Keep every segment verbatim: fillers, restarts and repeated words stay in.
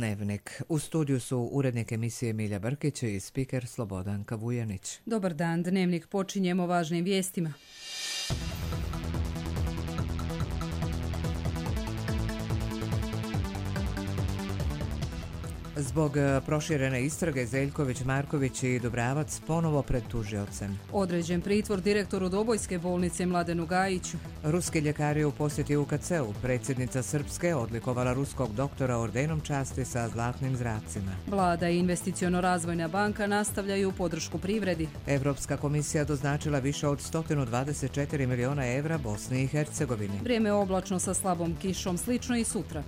Dnevnik. U studiju su urednik emisije Milja Brkić i spiker Slobodanka Vujanić. Dobar dan, Dnevnik počinjemo važnim vijestima. Zbog proširene istrage Zeljković, Marković i Dubravac ponovo pred tužiocem. Određen pritvor direktoru Dobojske bolnice Mladenu Gajiću. Ruski ljekari u posjeti U K C-u. Predsjednica Srpske odlikovala ruskog doktora ordenom časti sa zlatnim zracima. Vlada i investiciono-razvojna banka nastavljaju podršku privredi. Evropska komisija doznačila više od sto dvadeset četiri miliona evra Bosni i Hercegovini. Vrijeme oblačno sa slabom kišom, slično i sutra.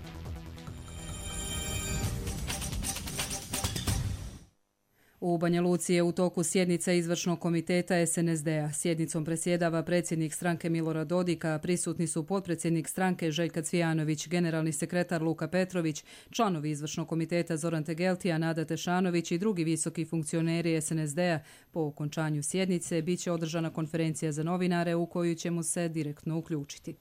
U Banja Luci je u toku sjednica izvršnog komiteta S N S D-a. Sjednicom predsjedava predsjednik stranke Milorad Dodik, a prisutni su potpredsjednik stranke Željka Cvijanović, generalni sekretar Luka Petrović, članovi izvršnog komiteta Zoran Tegeltija, Nada Tešanović i drugi visoki funkcioneri S N S D-a. Po okončanju sjednice bit će održana konferencija za novinare u koju ćemo se direktno uključiti.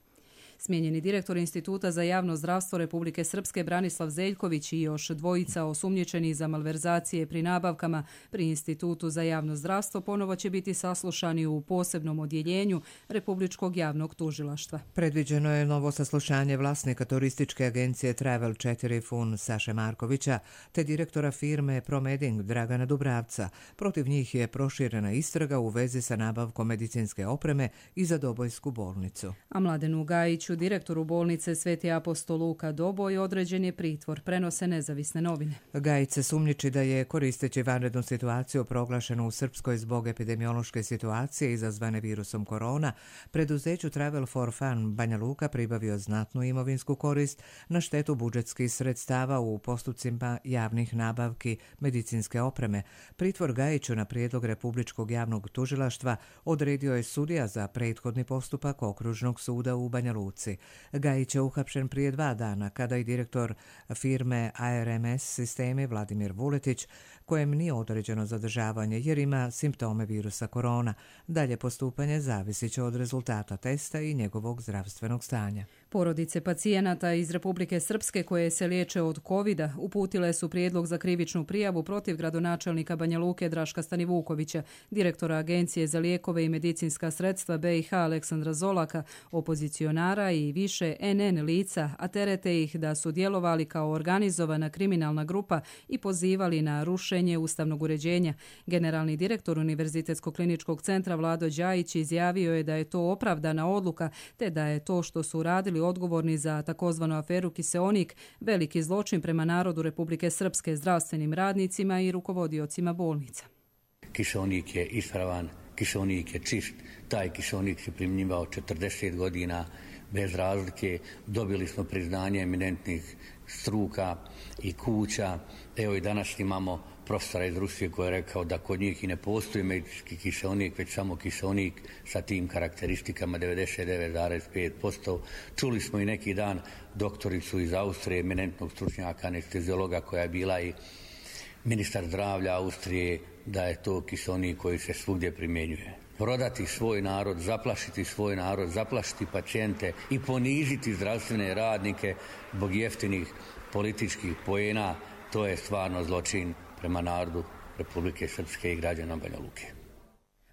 Smijenjeni direktor Instituta za javno zdravstvo Republike Srpske Branislav Zeljković i još dvojica osumnjičeni za malverzacije pri nabavkama pri Institutu za javno zdravstvo ponovo će biti saslušani u posebnom odjeljenju Republičkog javnog tužilaštva. Predviđeno je novo saslušanje vlasnika turističke agencije Travel četiri Fun Saše Markovića te direktora firme Promeding Dragana Dubravca. Protiv njih je proširena istraga u vezi sa nabavkom medicinske opreme i za Dobojsku bolnicu. A Mladenu Gajiću, direktoru bolnice Sveti apostol Luka Doboj, određen je pritvor, prenose nezavisne novine. Gajić se sumnjiči da je, koristeći vanrednu situaciju proglašenu u Srpskoj zbog epidemiološke situacije izazvane virusom korona, preduzeću Travel for Fun Banja Luka pribavio znatnu imovinsku korist na štetu budžetskih sredstava u postupcima javnih nabavki medicinske opreme. Pritvor Gajiću na prijedlog Republičkog javnog tužilaštva odredio je sudija za prethodni postupak Okružnog suda u Banja Luci. Gajić je uhapšen prije dva dana kada i direktor firme A R M S sistemi Vladimir Vuletić, kojem nije određeno zadržavanje jer ima simptome virusa korona. Dalje postupanje zavisit će od rezultata testa i njegovog zdravstvenog stanja. Porodice pacijenata iz Republike Srpske koje se liječe od kovida uputile su prijedlog za krivičnu prijavu protiv gradonačelnika Banja Luke Draška Stanivukovića, direktora Agencije za lijekove i medicinska sredstva B i H Aleksandra Zolaka, opozicionara i više N N lica, a terete ih da su djelovali kao organizovana kriminalna grupa i pozivali na rušenje ustavnog uređenja. Generalni direktor Univerzitetskog kliničkog centra Vlado Đajić izjavio je da je to opravdana odluka, te da je to što su radili odgovorni za takozvanu aferu Kiseonik veliki zločin prema narodu Republike Srpske, zdravstvenim radnicima i rukovodiocima bolnica. Kiseonik je ispravan, kiseonik je čist, taj kiseonik se primjenjivao četrdeset godina bez razlike, dobili smo priznanje eminentnih struka i kuća. Evo i danas imamo profesora iz Rusije koji je rekao da kod njih i ne postoji medicinski kiseonik, već samo kiseonik sa tim karakteristikama devedeset devet zarez pet posto. Čuli smo i neki dan doktoricu iz Austrije, eminentnog stručnjaka, anesteziologa koja je bila i ministar zdravlja Austrije, da je to kiseonik koji se svugdje primjenjuje. Prodati svoj narod, zaplašiti svoj narod, zaplašiti pacijente i poniziti zdravstvene radnike zbog jeftinih političkih poena, to je stvarno zločin prema narodu Republike Srpske i građana Banja Luke.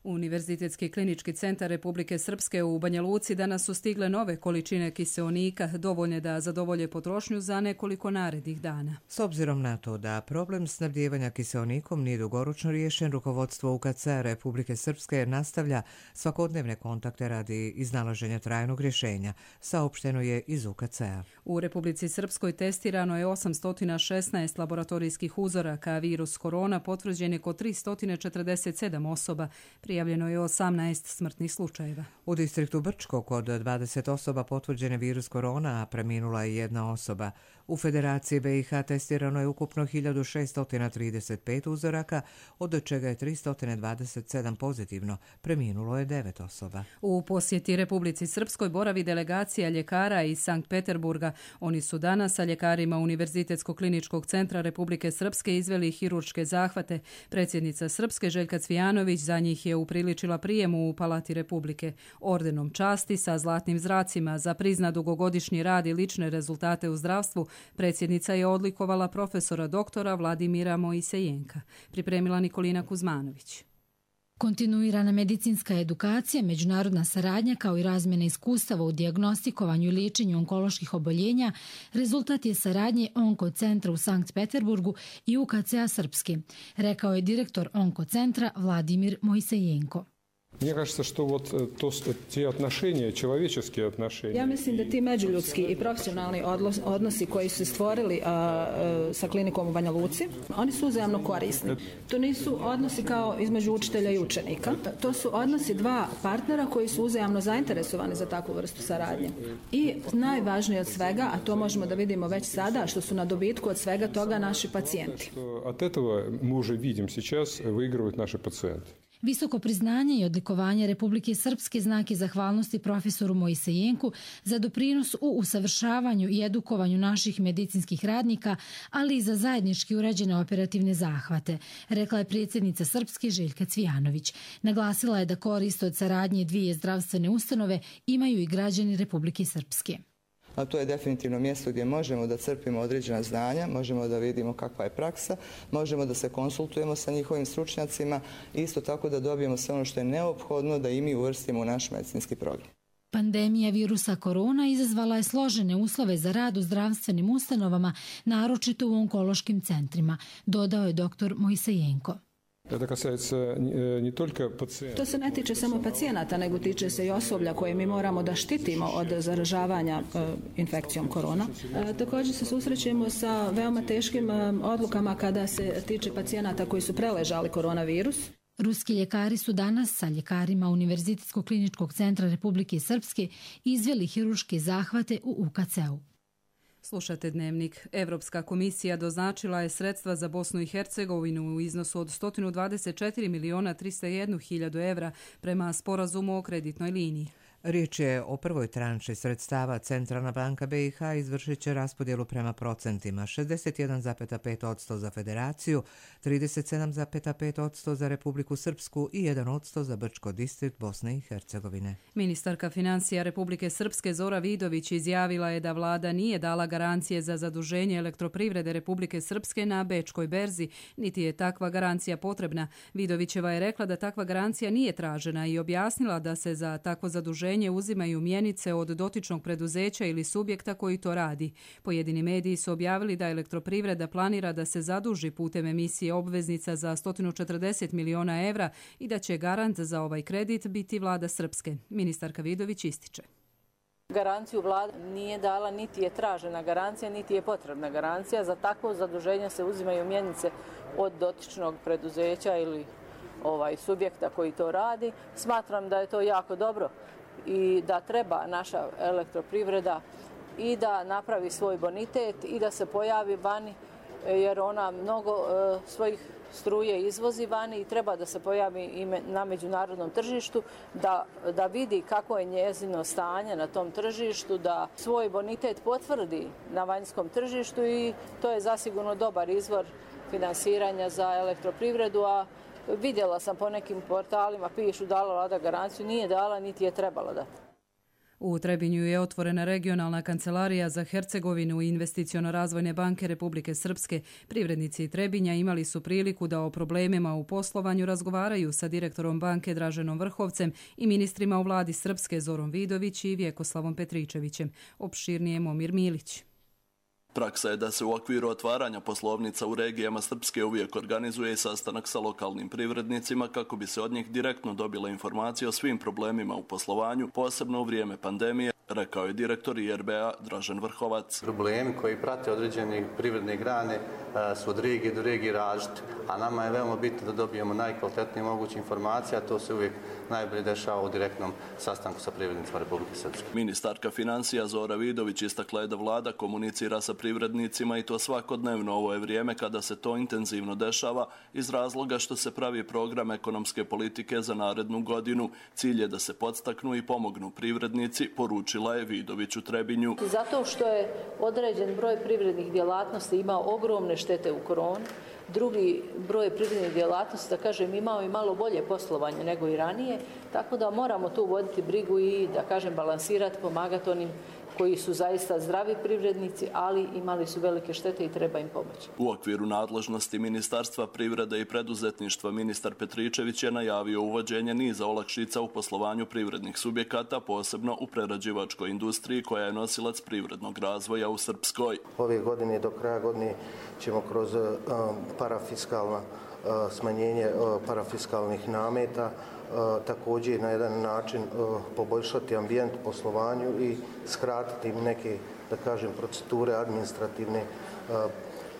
Univerzitetski klinički centar Republike Srpske u Banja Luci danas su stigle nove količine kiseonika, dovoljne da zadovolje potrošnju za nekoliko narednih dana. S obzirom na to da problem snabdijevanja kiseonikom nije dugoročno riješen, rukovodstvo U K C Republike Srpske nastavlja svakodnevne kontakte radi iznalaženja trajnog rješenja, saopšteno je iz U K C-a. U Republici Srpskoj testirano je osamsto šesnaest laboratorijskih uzoraka, a virus korona potvrđen je kod tristo četrdeset sedam osoba. Prijavljeno je osamnaest smrtnih slučajeva. U distriktu Brčko kod dvadeset osoba potvrđen je virus korona, a preminula je jedna osoba. U Federaciji B i H testirano je ukupno hiljadu šesto trideset pet uzoraka, od čega je tristo dvadeset sedam pozitivno. Preminulo je devet osoba. U posjeti Republici Srpskoj boravi delegacija ljekara iz Sankt Peterburga. Oni su danas sa ljekarima Univerzitetskog kliničkog centra Republike Srpske izveli hirurške zahvate. Predsjednica Srpske Željka Cvijanović za njih je upriličila prijemu u Palati Republike. Ordenom časti sa zlatnim zracima za prizna dugogodišnji rad i lične rezultate u zdravstvu predsjednica je odlikovala profesora doktora Vladimira Mojsejenka. Pripremila Nikolina Kuzmanović. Kontinuirana medicinska edukacija, međunarodna saradnja kao i razmjena iskustava u dijagnostikovanju i liječenju onkoloških oboljenja rezultat je saradnje Onkocentra u Sankt Peterburgu i U K C-a Srpski, rekao je direktor Onkocentra Vladimir Mojsejenko. Мне кажется, что вот то, те отношения, человеческие отношения. Ja mislim da ti međuljudski i profesionalni odnosi koji su stvorili a, a, sa klinikom u Banja Luci, oni su uzajamno korisni. To nisu odnosi kao između učitelja i učenika. To su odnosi dva partnera koji su uzajamno zainteresovani za takvu vrstu saradnje. I najvažnije od svega, a to možemo da vidimo već sada, što su na dobitku od svega toga naši pacijenti. От этого мы уже видим сейчас выигрывают наши пациенты. Visoko priznanje i odlikovanje Republike Srpske znak je zahvalnosti profesoru Mojsejenku za doprinos u usavršavanju i edukovanju naših medicinskih radnika, ali i za zajednički urađene operativne zahvate, rekla je predsjednica Srpske Željka Cvijanović. Naglasila je da korist od saradnje dvije zdravstvene ustanove imaju i građani Republike Srpske. A to je definitivno mjesto gdje možemo da crpimo određena znanja, možemo da vidimo kakva je praksa, možemo da se konsultujemo sa njihovim stručnjacima i isto tako da dobijemo sve ono što je neophodno da i mi uvrstimo u naš medicinski program. Pandemija virusa korona izazvala je složene uslove za rad u zdravstvenim ustanovama, naročito u onkološkim centrima, dodao je doktor Mojsejenko. To se ne tiče samo pacijenata, nego tiče se i osoblja koje mi moramo da štitimo od zaražavanja e, infekcijom korona. E, također se susrećemo sa veoma teškim e, odlukama kada se tiče pacijenata koji su preležali koronavirus. Ruski ljekari su danas sa ljekarima Univerzitetskog kliničkog centra Republike Srpske izveli hirurške zahvate u U K C-u. Slušate Dnevnik. Evropska komisija doznačila je sredstva za Bosnu i Hercegovinu u iznosu od sto dvadeset četiri miliona trista jedan hiljadu evra prema sporazumu o kreditnoj liniji. Riječ je o prvoj tranši sredstava. Centralna banka B i H izvršit će raspodjelu prema procentima: šezdeset jedan zarez pet posto za Federaciju, trideset sedam zarez pet posto za Republiku Srpsku i jedan posto za Brčko distrikt Bosne i Hercegovine. Ministarka financija Republike Srpske Zora Vidović izjavila je da vlada nije dala garancije za zaduženje elektroprivrede Republike Srpske na Bečkoj berzi, niti je takva garancija potrebna. Vidovićeva je rekla da takva garancija nije tražena i objasnila da se za takvo zaduženje uzimaju mjenice od dotičnog preduzeća ili subjekta koji to radi. Pojedini mediji su objavili da elektroprivreda planira da se zaduži putem emisije obveznica za sto četrdeset miliona evra i da će garant za ovaj kredit biti vlada Srpske. Ministarka Vidović ističe: Garanciju vlada nije dala, niti je tražena garancija, niti je potrebna garancija. Za takvo zaduženje se uzimaju mjenice od dotičnog preduzeća ili ovaj subjekta koji to radi. Smatram da je to jako dobro i da treba naša elektroprivreda i da napravi svoj bonitet i da se pojavi vani, jer ona mnogo e, svojih struje izvozi vani i treba da se pojavi i na međunarodnom tržištu, da, da vidi kako je njezino stanje na tom tržištu, da svoj bonitet potvrdi na vanjskom tržištu i to je zasigurno dobar izvor finansiranja za elektroprivredu, a vidjela sam po nekim portalima, pišu dala vlada garanciju, nije dala niti je trebala dati. U Trebinju je otvorena regionalna kancelarija za Hercegovinu i Investiciono-razvojne banke Republike Srpske. Privrednici Trebinja imali su priliku da o problemima u poslovanju razgovaraju sa direktorom banke Draženom Vrhovcem i ministrima u vladi Srpske Zorom Vidović i Vjekoslavom Petričevićem. Opširnije Momir Milić. Praksa je da se u okviru otvaranja poslovnica u regijama Srpske uvijek organizuje sastanak sa lokalnim privrednicima kako bi se od njih direktno dobila informacija o svim problemima u poslovanju, posebno u vrijeme pandemije, rekao je direktor I R B-a Dražen Vrhovac. Problemi koji prate određene privredne grane su od regije do regije različiti, a nama je veoma bitno da dobijemo najkvalitetnije moguće informacije, a to se uvijek najbolje dešava u direktnom sastanku sa privrednicima Republike Srpske. Ministarka financija Zora Vidović istakla je da vlada komunicira sa privrednicima i to svakodnevno. Ovo je vrijeme kada se to intenzivno dešava iz razloga što se pravi program ekonomske politike za narednu godinu. Cilj je da se podstaknu i pomognu privrednici, poručila je Vidović u Trebinju. Zato što je određen broj privrednih djelatnosti imao ogromne štete u koroni, drugi broj privrednih djelatnosti, da kažem, imao i malo bolje poslovanje nego i ranije, tako da moramo tu voditi brigu i, da kažem, balansirati, pomagati onim koji su zaista zdravi privrednici, ali imali su velike štete i treba im pomoći. U okviru nadležnosti Ministarstva privrede i preduzetništva ministar Petričević je najavio uvođenje niza olakšica u poslovanju privrednih subjekata, posebno u prerađivačkoj industriji koja je nosilac privrednog razvoja u Srpskoj. Ove godine do kraja godine ćemo kroz uh, parafiskalna uh, smanjenje uh, parafiskalnih nameta Uh, također na jedan način uh, poboljšati ambijent poslovanju i skratiti im neke, da kažem, procedure administrativne uh,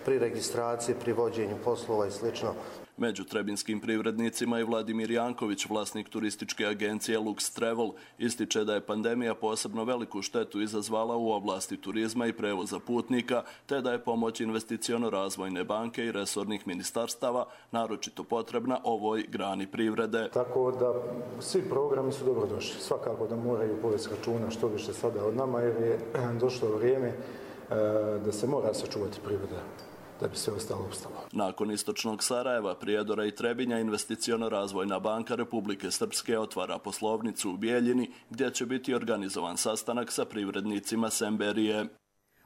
pri registraciji, pri vođenju poslova i slično. Među trebinskim privrednicima je Vladimir Janković, vlasnik turističke agencije Lux Travel, ističe da je pandemija posebno veliku štetu izazvala u oblasti turizma i prevoza putnika, te da je pomoć investiciono-razvojne banke i resornih ministarstava naročito potrebna ovoj grani privrede. Tako da svi programi su dobrodošli. Svakako da moraju povesti računa što više sada od nama, jer je došlo vrijeme da se mora sačuvati privreda da bi sve ostalo ustalo. Nakon istočnog Sarajeva, Prijedora i Trebinja, Investiciono-razvojna banka Republike Srpske otvara poslovnicu u Bijeljini, gdje će biti organizovan sastanak sa privrednicima Semberije.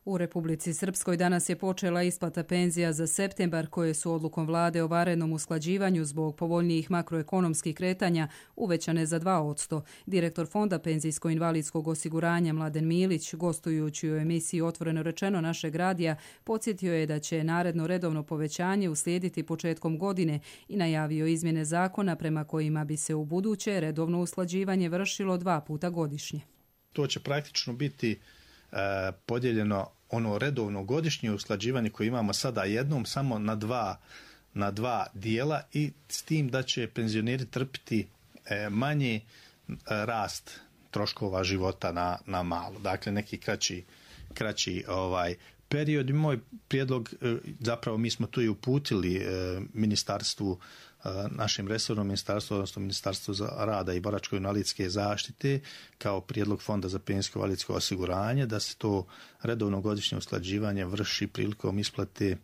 U Republici Srpskoj danas je počela isplata penzija za septembar, koje su odlukom vlade o vanrednom usklađivanju zbog povoljnijih makroekonomskih kretanja uvećane za dva posto. Direktor Fonda penzijsko-invalidskog osiguranja Mladen Milić, gostujući u emisiji Otvoreno rečeno našeg radija, podsjetio je da će naredno redovno povećanje uslijediti početkom godine i najavio izmjene zakona prema kojima bi se u buduće redovno usklađivanje vršilo dva puta godišnje. To će praktično biti e, podijeljeno ono redovno godišnje usklađivanje koje imamo sada jednom samo na dva, na dva dijela i s tim da će penzioneri trpiti e, manji e, rast troškova života na, na malo. Dakle, neki kraći, kraći ovaj, period. Moj prijedlog, e, zapravo mi smo tu i uputili e, ministarstvu, našem resornom ministarstvu, odnosno Ministarstvu za rada i boračko-invalidske zaštite, kao prijedlog Fonda za penzijsko-invalidsko osiguranje, da se to redovno godišnje usklađivanje vrši prilikom isplate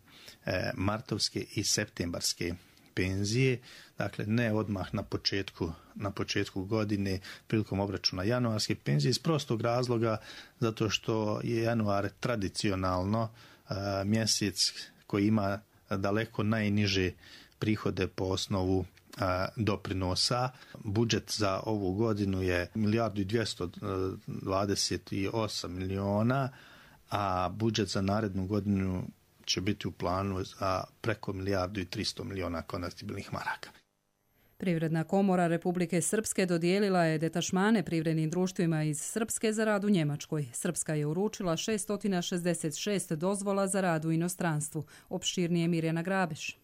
e, martovske i septembarske penzije, dakle ne odmah na početku, na početku godine prilikom obračuna januarske penzije, iz prostog razloga zato što je januar tradicionalno e, mjesec koji ima daleko najniže prihode po osnovu a, doprinosa. Budžet za ovu godinu je milijardu i dvjesto dvadeset osam miliona, a budžet za narednu godinu će biti u planu za preko milijardu i tristo miliona konvertibilnih maraka. Privredna komora Republike Srpske dodijelila je detašmane privrednim društvima iz Srpske za rad u Njemačkoj. Srpska je uručila šesto šezdeset šest dozvola za rad u inostranstvu. Opširnije Mirjana Grabeš.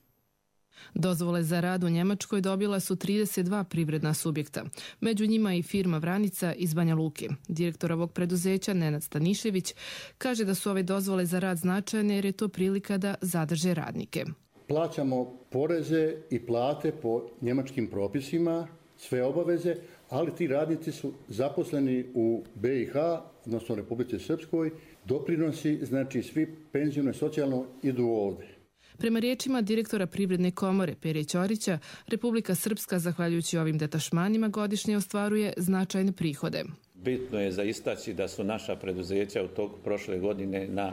Dozvole za rad u Njemačkoj dobila su trideset dva privredna subjekta, među njima i firma Vranica iz Banja Luke. Direktor ovog preduzeća Nenad Stanišević kaže da su ove dozvole za rad značajne jer je to prilika da zadrže radnike. Plaćamo poreze i plate po njemačkim propisima, sve obaveze, ali ti radnici su zaposleni u be i ha, odnosno Republici Srpskoj. Doprinosi, znači svi penzijno i socijalno idu ovdje. Prema riječima direktora Privredne komore Pere Ćorića, Republika Srpska, zahvaljujući ovim detašmanima, godišnje ostvaruje značajne prihode. Bitno je za istaći da su naša preduzeća u toku prošle godine na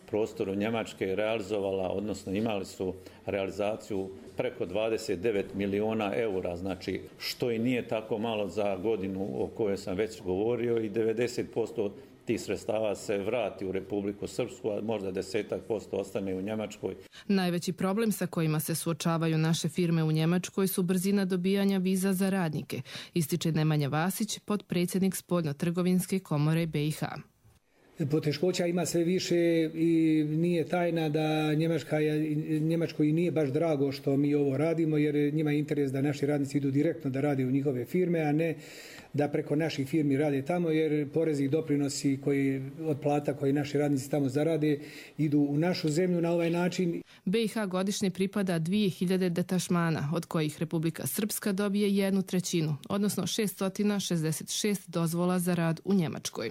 prostoru Njemačke realizovala, odnosno imali su realizaciju preko dvadeset devet miliona eura, znači što i nije tako malo za godinu o kojoj sam već govorio, i devedeset posto tih sredstava se vrati u Republiku Srpsku, a možda desetak posto ostane u Njemačkoj. Najveći problem sa kojima se suočavaju naše firme u Njemačkoj su brzina dobijanja viza za radnike, ističe Nemanja Vasić, potpredsjednik Spoljno-trgovinske komore be i ha. Poteškoća ima sve više i nije tajna da Njemačka, Njemačkoj nije baš drago što mi ovo radimo, jer njima je interes da naši radnici idu direktno da rade u njihove firme, a ne da preko naših firmi rade tamo, jer porezi i doprinosi koji, od plata koji naši radnici tamo zarade idu u našu zemlju na ovaj način. be i ha godišnje pripada dvije hiljade detašmana, od kojih Republika Srpska dobije jednu trećinu, odnosno šesto šezdeset šest dozvola za rad u Njemačkoj.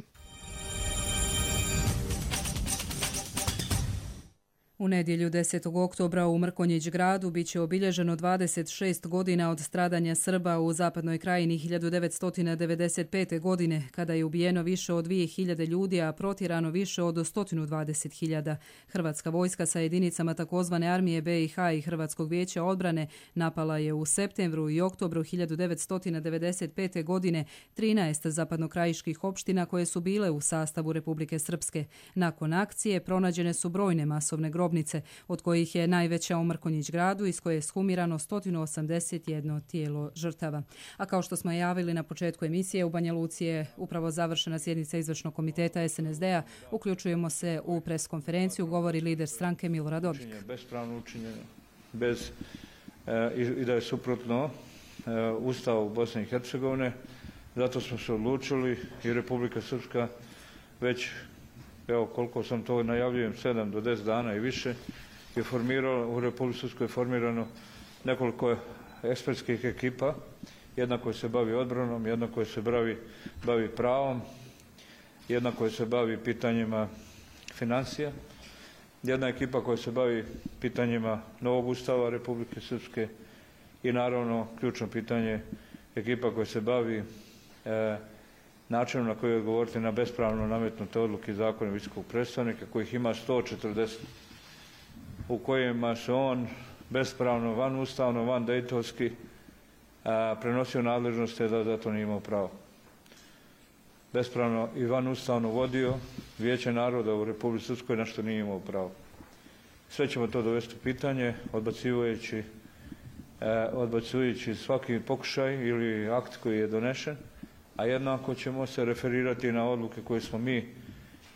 U nedjelju desetog oktobra u Mrkonjić gradu bit će obilježeno dvadeset šest godina od stradanja Srba u zapadnoj krajini hiljadu devetsto devedeset pete. godine, kada je ubijeno više od dvije hiljade ljudi, a protjerano više od sto dvadeset hiljada. Hrvatska vojska sa jedinicama takozvane armije B i H i Hrvatskog vijeća odbrane napala je u septembru i oktobru hiljadu devetsto devedeset pete. godine trinaest zapadnokrajiških opština koje su bile u sastavu Republike Srpske. Nakon akcije pronađene su brojne masovne grobnice, od kojih je najveća u Mrkonjić gradu, iz koje je skumirano sto osamdeset jedno tijelo žrtava. A kao što smo javili na početku emisije, u Banja Luci je upravo završena sjednica izvršnog komiteta S N S D-a. Uključujemo se u preskonferenciju, govori lider stranke Milorad Dodik. Bespravno učinjeno, bez, e, i, i da je suprotno e, Ustavu Bosne i Hercegovine. Zato smo se odlučili i Republika Srpska već, evo koliko sam to najavljujem, sedam do deset dana i više, je formiralo, u Republici Srpskoj je formirano nekoliko ekspertskih ekipa, jedna koja se bavi odbranom, jedna koja se bavi, bavi pravom, jedna koja se bavi pitanjima financija, jedna ekipa koja se bavi pitanjima novog ustava Republike Srpske i naravno ključno pitanje ekipa koja se bavi e, načinom na koji odgovoriti na bespravno nametnute odluke i zakone visokog predstavnika, kojih ima sto četrdeset, u kojima se on bespravno, van ustavno, van dejtonski prenosio nadležnosti da za to nije imao pravo. Bespravno i van ustavno vodio Vijeće naroda u Republici Srpskoj, na što nije imao pravo. Sve ćemo to dovesti u pitanje, odbacujući, odbacujući svaki pokušaj ili akt koji je donešen, a jednako ćemo se referirati na odluke koje smo mi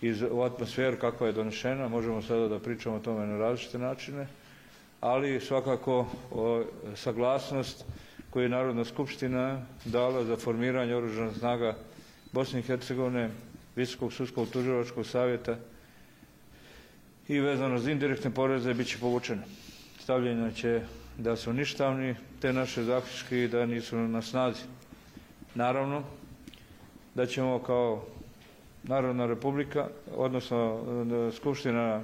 iz u atmosferu kakva je donešena. Možemo sada da pričamo o tome na različite načine, ali svakako o, saglasnost koju je Narodna skupština dala za formiranje oružanih snaga Bosne i Hercegovine, Visokog sudskog tužilačkog savjeta i vezano za indirektne poreze bit će povučene. Stavljeno će da su ništavni te naše zaključke i da nisu na snazi. Naravno da ćemo kao Narodna republika, odnosno skupština,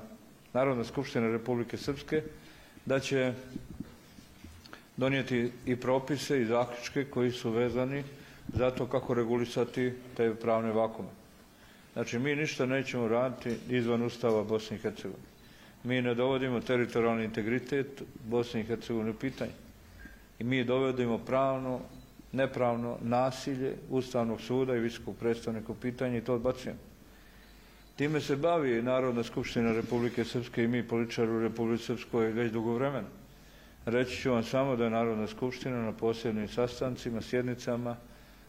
Narodna skupština Republike Srpske, da će donijeti i propise i zaključke koji su vezani za to kako regulisati te pravne vakume. Znači, mi ništa nećemo raditi izvan Ustava Bosne i Hercegovine. Mi ne dovodimo teritorijalni integritet Bosne i Hercegovine u pitanje. I mi dovodimo pravno, nepravno nasilje Ustavnog suda i visokog predstavnika u pitanje i to odbacujemo. Time se bavi Narodna skupština Republike Srpske i mi političari u Republike Srpskoj već dugo vremena. Reći ću vam samo da je Narodna skupština na posebnim sastancima, sjednicama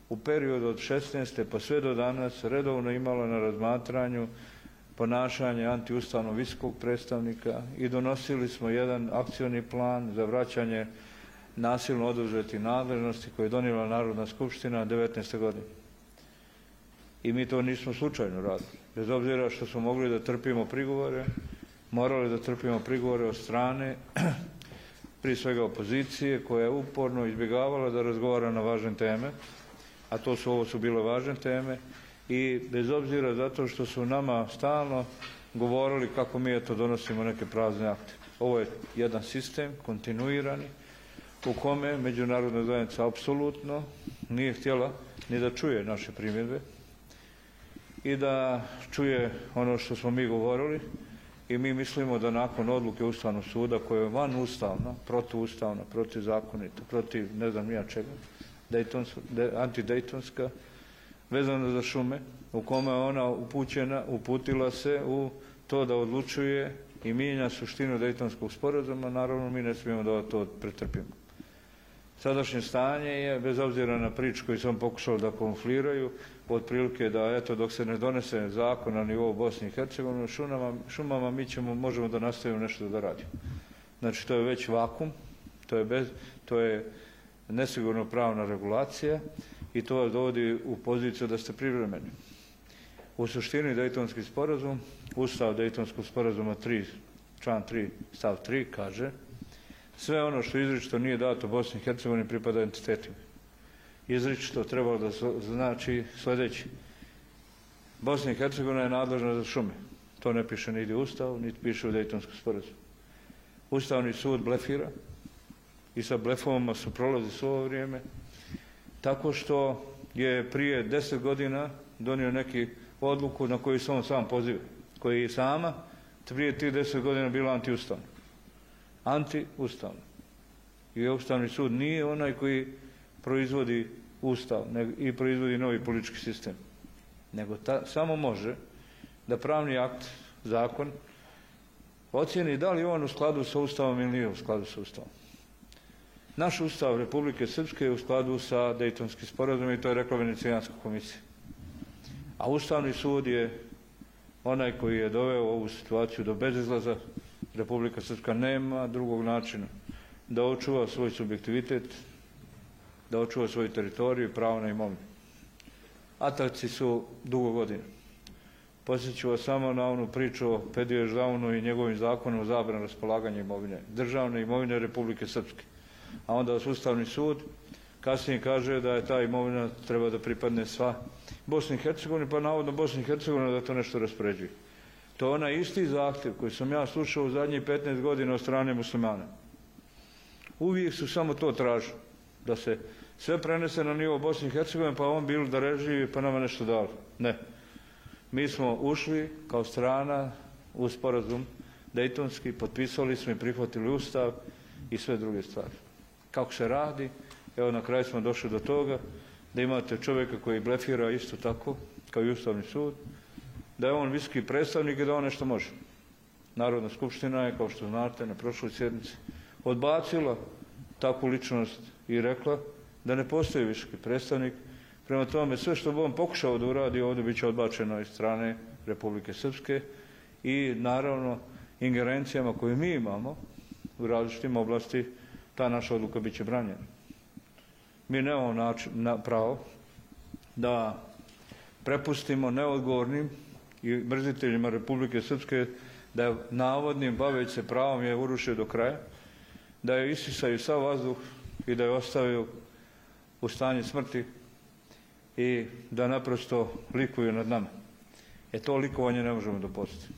u periodu od šesnaeste pa sve do danas redovno imala na razmatranju ponašanje antiustavnog visokog predstavnika i donosili smo jedan akcioni plan za vraćanje nasilno oduzetih nadležnosti koje je donijela Narodna skupština devetnaeste godine. I mi to nismo slučajno radili. Bez obzira što smo mogli da trpimo prigovore, morali da trpimo prigovore od strane prije svega opozicije, koja je uporno izbjegavala da razgovara na važne teme, a to su, ovo su bile važne teme, i bez obzira zato što su nama stalno govorili kako mi eto donosimo neke prazne akte. Ovo je jedan sistem, kontinuirani, u kome međunarodna zajednica apsolutno nije htjela ni da čuje naše primjedbe i da čuje ono što smo mi govorili, i mi mislimo da nakon odluke Ustavnog suda, koja je van ustavna, protuustavna, protizakonita, protiv ne znam nija čega, antidejtonska, vezana za šume, u kome ona upućena, uputila se u to da odlučuje i mijenja suštinu Dejtonskog sporazuma, naravno mi ne smijemo da to pretrpimo. Sadašnje stanje je, bez obzira na priču koju sam pokušao da konfliraju, otprilike da eto dok se ne donese zakon na nivou Bosne i Hercegovine, šumama, šumama mi ćemo, možemo da nastavimo nešto da radimo. Znači to je već vakum, to je, bez, to je nesigurno pravna regulacija i to vas dovodi u poziciju da ste privremeni. U suštini Dejtonski sporazum, Ustav Dejtonskog sporazuma tri, član tri, stav tri kaže: sve ono što izričito nije dato Bosni i Hercegovini pripada entitetima. Izričito trebalo da znači sljedeći: Bosna i Hercegovina je nadležna za šume. To ne piše niti u Ustavu, niti piše u Dejtonskom sporazumu. Ustavni sud blefira i sa blefovima su prolazi svo ovo vrijeme, tako što je prije deset godina donio neki odluku na koju se on sam poziva, koji je sama prije tih deset godina bila antiustavna. Antiustavna. I Ustavni sud nije onaj koji proizvodi ustav i proizvodi novi politički sistem, nego ta, samo može da pravni akt, zakon, ocijeni da li je on u skladu sa Ustavom ili nije u skladu sa Ustavom. Naš Ustav Republike Srpske je u skladu sa Dejtonskim sporazumom i to je rekla Venecijanska komisija. A Ustavni sud je onaj koji je doveo ovu situaciju do bezizlaza. Republika Srpska nema drugog načina da očuva svoj subjektivitet, da očuva svoju teritoriju i pravo na imovinu. Ataci su dugo godina. Posjeću vas samo na onu priču o Pediju Ždavnu i njegovim zakonom o zabrani raspolaganja imovine, državne imovine Republike Srpske. A onda vas Ustavni sud kasnije kaže da je ta imovina treba da pripadne sva Bosni i Hercegovini, pa navodno Bosni i Hercegovina da to nešto raspoređuje. To je onaj isti zahtjev koji sam ja slušao u zadnjih petnaest godina od strane muslimana. Uvijek su samo to tražili, da se sve prenese na nivo Bosne i Hercegovine, pa on bili da reživi, pa nama nešto dali. Ne. Mi smo ušli kao strana u sporazum Dejtonski, potpisali smo i prihvatili Ustav i sve druge stvari. Kako se radi, evo na kraju smo došli do toga da imate čovjeka koji blefira isto tako, kao i Ustavni sud, da je on visoki predstavnik i da on nešto može. Narodna skupština je, kao što znate, na prošloj sjednici odbacila takvu ličnost i rekla da ne postoji visoki predstavnik. Prema tome, sve što bi on pokušao da uradi ovdje bit će odbačeno iz strane Republike Srpske i naravno ingerencijama koje mi imamo u različitim oblasti, ta naša odluka bit će branjena. Mi nemamo način, na, pravo da prepustimo neodgovornim i mrziteljima Republike Srpske da je navodnim baveći se pravom je urušio do kraja, da je isisaju sav vazduh i da je ostavio u stanju smrti i da naprosto likuju nad nama. E to likovanje ne možemo dopustiti.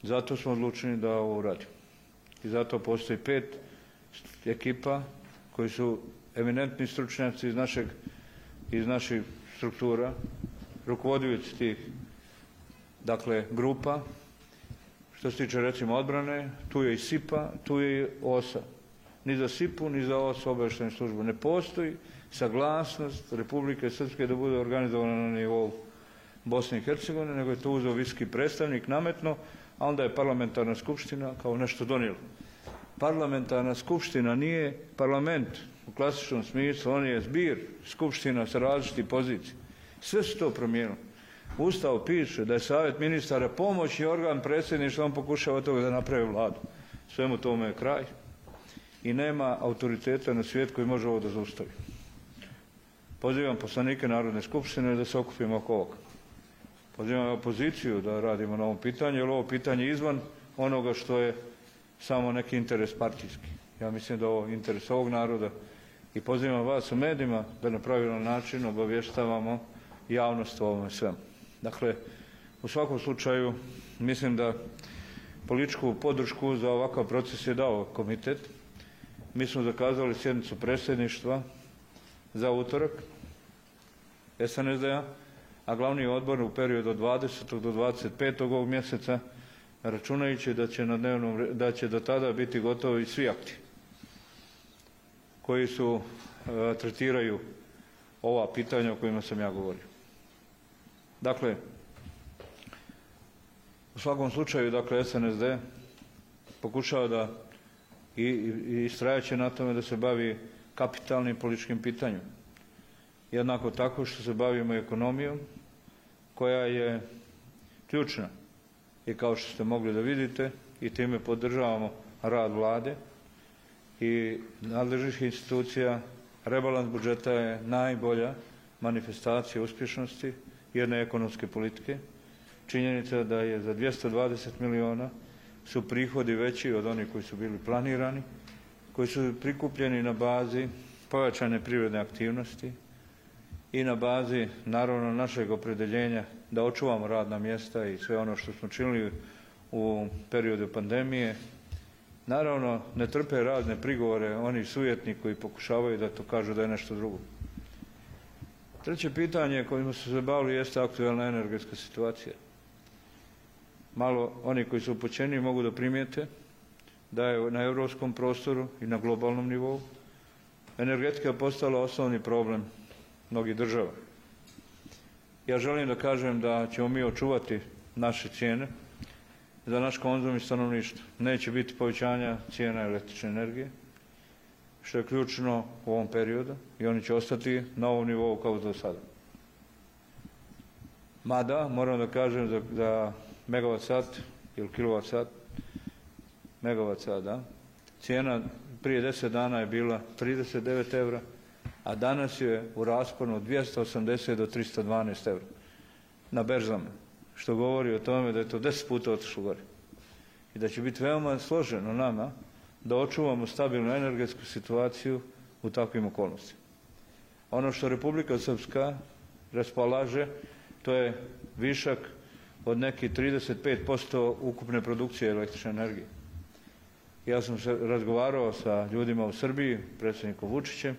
Zato smo odlučeni da ovo uradimo. I zato postoji pet ekipa koji su eminentni stručnjaci iz našeg, iz naših struktura, rukovodioci tih, dakle, grupa. Što se tiče, recimo, odbrane, tu je i SIPA, tu je i OSA. Ni za SIPU, ni za OSA obavještajnu službu ne postoji saglasnost Republike Srpske da bude organizovana na nivou Bosne i Hercegovine, nego je to uzeo visoki predstavnik nametno, a onda je parlamentarna skupština kao nešto donijela. Parlamentarna skupština nije parlament u klasičnom smislu, on je zbir skupština sa različitih pozicija. Sve su to promijenilo. Ustav piše da je savjet ministara pomoćni organ predsjedništva, on pokušava toga da napravi vladu. Svemu tome je kraj i nema autoriteta na svijet koji može ovo da zaustavi. Pozivam poslanike Narodne skupštine da se okupimo oko ovoga. Pozivam opoziciju da radimo na ovom pitanju, jer ovo pitanje je izvan onoga što je samo neki interes partijski. Ja mislim da je ovo interes ovog naroda i pozivam vas u medijima da na pravilan način obavještavamo javnost o ovome svemu. Dakle, u svakom slučaju mislim da političku podršku za ovakav proces je dao komitet. Mi smo zakazali sjednicu predsjedništva za utorak S N S D-a, a glavni odbor u periodu od dvadesetog do dvadeset petog ovog mjeseca, računajući da će, na dnevnom, da će do tada biti gotovi svi akti koji su e, tretiraju ova pitanja o kojima sam ja govorio. Dakle, u svakom slučaju, dakle, S N S D pokušava da i, i istrajaće na tome da se bavi kapitalnim političkim pitanjem. Jednako tako što se bavimo ekonomijom, koja je ključna. I kao što ste mogli da vidite, i time podržavamo rad vlade i nadležnih institucija, rebalans budžeta je najbolja manifestacija uspješnosti jedne ekonomske politike. Činjenica da je za dvjesto dvadeset miliona su prihodi veći od onih koji su bili planirani, koji su prikupljeni na bazi pojačane privredne aktivnosti i na bazi, naravno, našeg opredjeljenja da očuvamo radna mjesta i sve ono što smo činili u periodu pandemije Naravno, ne trpe razne prigovore oni sujetni koji pokušavaju da to kažu da je nešto drugo. Treće pitanje kojima su se bavili jeste aktualna energetska situacija. Malo oni koji su upućeni mogu da primijete da je na europskom prostoru i na globalnom nivou energetika postala osnovni problem mnogih država. Ja želim da kažem da ćemo mi očuvati naše cijene za naš konzum i stanovništvo. Neće biti povećanja cijena električne energije, što je ključno u ovom periodu, i oni će ostati na ovom nivou kao do sada. Mada, moram da kažem da, da megavat sat ili kilovat sat, megavat sat, da, cijena prije deset dana je bila trideset devet evra, a danas je u rasponu od dvjesto osamdeset do tristo dvanaest evra na berzama, što govori o tome da je to deset puta otišlo gore. I da će biti veoma složeno nama da očuvamo stabilnu energetsku situaciju u takvim okolnostima. Ono što Republika Srpska raspolaže, to je višak od nekih trideset pet posto ukupne produkcije električne energije. Ja sam se razgovarao sa ljudima u Srbiji, predsjednikom Vučićem,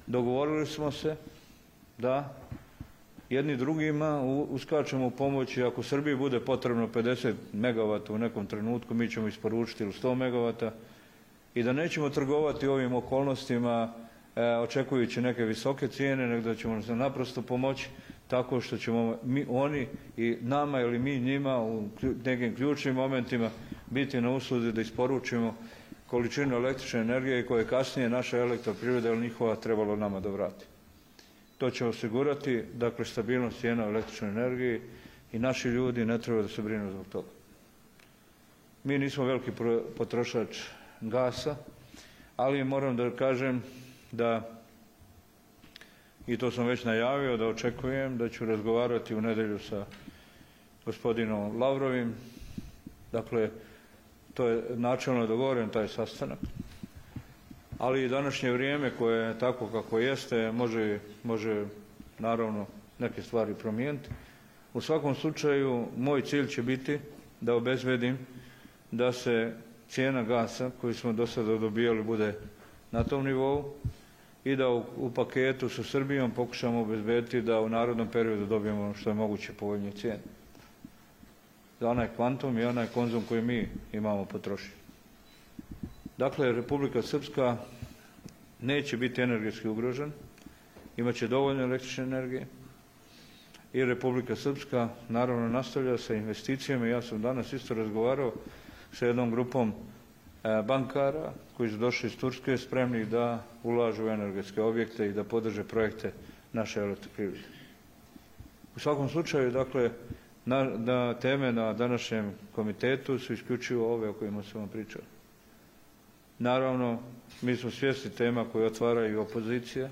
dogovorili smo se da jedni drugima uskačemo u pomoć i ako Srbiji bude potrebno pedeset megavata u nekom trenutku, mi ćemo isporučiti ili sto megavata i da nećemo trgovati ovim okolnostima e, očekujući neke visoke cijene, nego da ćemo se naprosto pomoći tako što ćemo mi, oni i nama ili mi njima u nekim ključnim momentima biti na usluzi da isporučimo količinu električne energije koje kasnije naša elektroprivreda ili njihova trebalo nama da vrati. To će osigurati, dakle, stabilnost cijena električne energije i naši ljudi ne treba da se brinu zbog toga. Mi nismo veliki potrošač gasa, ali moram da kažem da, i to sam već najavio, da očekujem da ću razgovarati u nedjelju sa gospodinom Lavrovim. Dakle, to je načelno dogovoren taj sastanak. Ali i današnje vrijeme koje je tako kako jeste može, može naravno neke stvari promijeniti. U svakom slučaju moj cilj će biti da obezbedim da se cijena gasa koju smo do sada dobijali bude na tom nivou i da u, u paketu sa Srbijom pokušamo obezbediti da u narodnom periodu dobijemo što je moguće povoljnije cijene. Za onaj kvantum i onaj konzum koji mi imamo potrošiti. Dakle, Republika Srpska neće biti energetski ugrožen, imaće dovoljno električne energije i Republika Srpska naravno nastavlja sa investicijama. Ja sam danas isto razgovarao sa jednom grupom bankara koji su došli iz Turske spremni da ulažu u energetske objekte i da podrže projekte naše elektroprivrede. U svakom slučaju, dakle, na, na teme na današnjem komitetu su isključivo ove o kojima sam vam pričao. Naravno, mi smo svjesni tema koje otvaraju opozicija,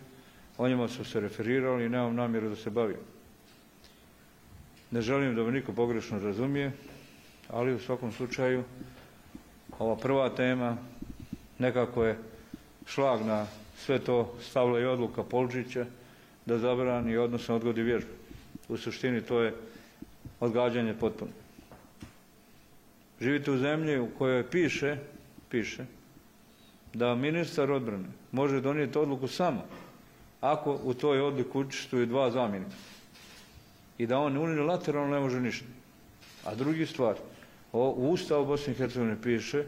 o njima su se referirali i nemam namjeru da se bavim. Ne želim da me niko pogrešno razumije, ali u svakom slučaju ova prva tema nekako je šlag na sve to stavila i odluka Polžića da zabrani, odnosno odgodi vježbu. U suštini to je odgađanje potpuno. Živite u zemlji u kojoj piše, piše da ministar odbrane može donijeti odluku samo ako u toj odluku učestvuju dva zamjenika i da on unilateralno ne može ništa. A drugi stvar, u Ustavu Bosne i Hercegovine piše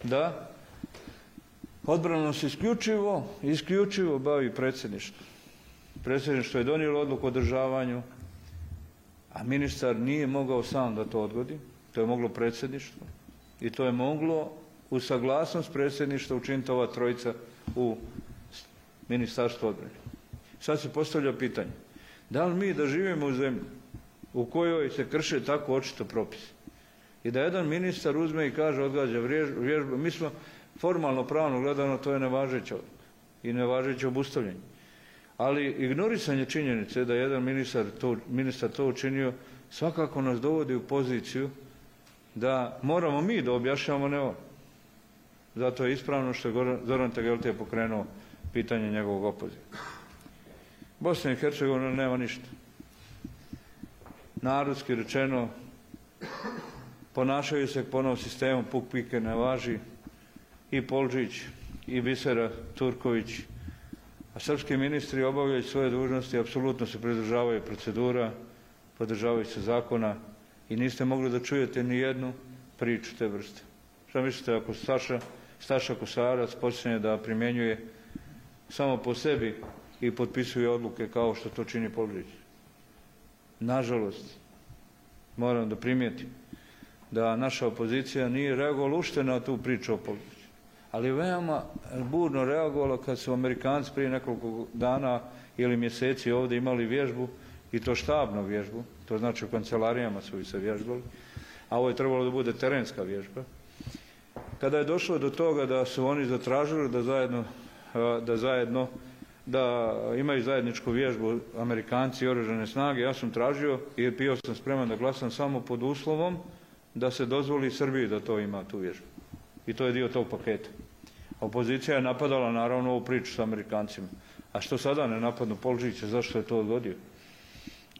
da odbranom se isključivo, isključivo bavi predsjedništvo. Predsjedništvo je donijelo odluku o održavanju, a ministar nije mogao sam da to odgodi. To je moglo predsjedništvo i to je moglo u saglasnost predsjedništva učiniti ova trojica u Ministarstvu odbrane. Sad se postavlja pitanje, da li mi da živimo u zemlji u kojoj se krše tako očito propisi i da jedan ministar uzme i kaže odgađa vježbu, mi smo formalno pravno gledano to je nevažeća odluka i nevažeće obustavljanje. Ali ignorisanje činjenice da jedan ministar to, ministar to učinio svakako nas dovodi u poziciju da moramo mi da objašnjavamo, ne on. Zato je ispravno što je Zoran Tegeltije pokrenuo pitanje njegovog opoziva. Bosna i Hercegovina nema ništa. Narodski rečeno, ponašaju se po novom sistemu, puk pike ne važi, i Polžić i Bisera Turković, a srpski ministri obavljaju svoje dužnosti, apsolutno se pridržavaju procedura, pridržavaju se zakona i niste mogli da čujete ni jednu priču te vrste. Šta mislite ako Staša, Staša Kosarac počne da primjenjuje samo po sebi i potpisuje odluke kao što to čini Polžić? Nažalost, moram da primijetim da naša opozicija nije reagovala ušte na tu priču o Polžiću, ali veoma burno reagovala kad su Amerikanci prije nekoliko dana ili mjeseci ovdje imali vježbu, i to štabnu vježbu, to znači u kancelarijama su se vježbali, a ovo je trebalo da bude terenska vježba. Kada je došlo do toga da su oni zatražili da zajedno, da zajedno da imaju zajedničku vježbu Amerikanci i oružane snage, ja sam tražio i bio sam spreman da glasam samo pod uslovom da se dozvoli Srbiji da to ima, tu vježbu. I to je dio tog paketa. Opozicija je napadala naravno ovu priču sa Amerikancima. A što sada ne napadnu Polžića, zašto je to odgodio?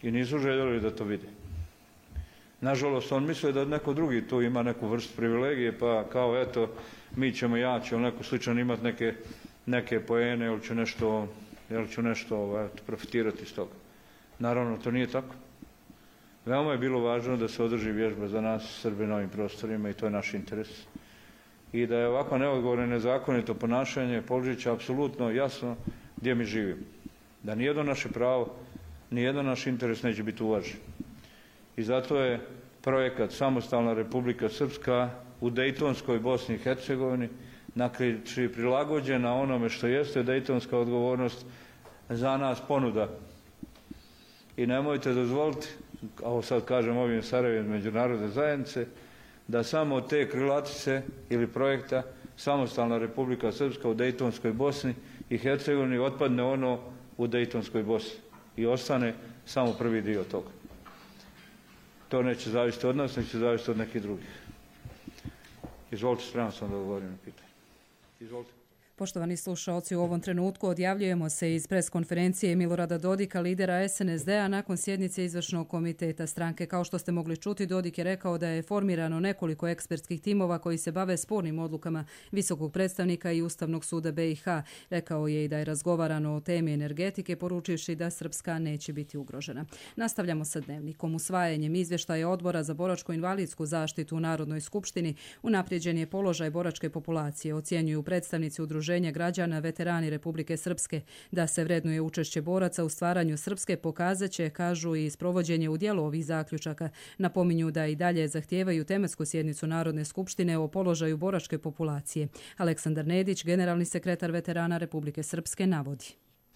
I nisu željeli da to vide. Nažalost, on misle da neko drugi tu ima neku vrstu privilegije, pa kao eto, mi ćemo jaći, ili neko sličan imati neke, neke poene, ili ću nešto, ili ću nešto eto, profitirati iz toga. Naravno, to nije tako. Veoma je bilo važno da se održi vježba za nas Srbe na ovim prostorima i to je naš interes. I da je ovako neodgovorno i nezakonito ponašanje Polžića apsolutno jasno gdje mi živimo. Da nijedno naše pravo, nijedan naš interes neće biti uvažen. I zato je projekat Samostalna Republika Srpska u Dejtonskoj Bosni i Hercegovini znači prilagođena onome što jeste dejtonska odgovornost za nas ponuda. I nemojte dozvoliti, ovo sad kažem ovim Sarajevim međunarodne zajednice, da samo od te krilatice ili projekta Samostalna Republika Srpska u Dejtonskoj Bosni i Hercegovini otpadne ono u Dejtonskoj Bosni i ostane samo prvi dio toga. To neće zavisiti od nas, neće zavisiti od nekih drugih. Izvolite, spreman sam da odgovorim na pitanje. Izvolite. Poštovani slušalci, u ovom trenutku odjavljujemo se iz preskonferencije Milorada Dodika, lidera S N S D-a, nakon sjednice izvršnog komiteta stranke. Kao što ste mogli čuti, Dodik je rekao da je formirano nekoliko ekspertskih timova koji se bave spornim odlukama visokog predstavnika i Ustavnog suda B i H. Rekao je i da je razgovarano o temi energetike, poručivši da Srpska neće biti ugrožena. Nastavljamo sa dnevnikom. Usvajanjem izvještaja Odbora za boračko-invalidsku zaštitu u Narodnoj skupštini unaprijeđen je položaj boračke populacije, ocjenjuju predstavnici udruženja građana veterani Republike Srpske. Da se vrednuje učešće boraca u stvaranju Srpske pokazat će, kažu, i sprovođenje u djelu ovih zaključaka. Napominju da i dalje zahtijevaju tematsku sjednicu Narodne skupštine o položaju boračke populacije. Aleksandar Nedić, generalni sekretar veterana Republike Srpske, navodi.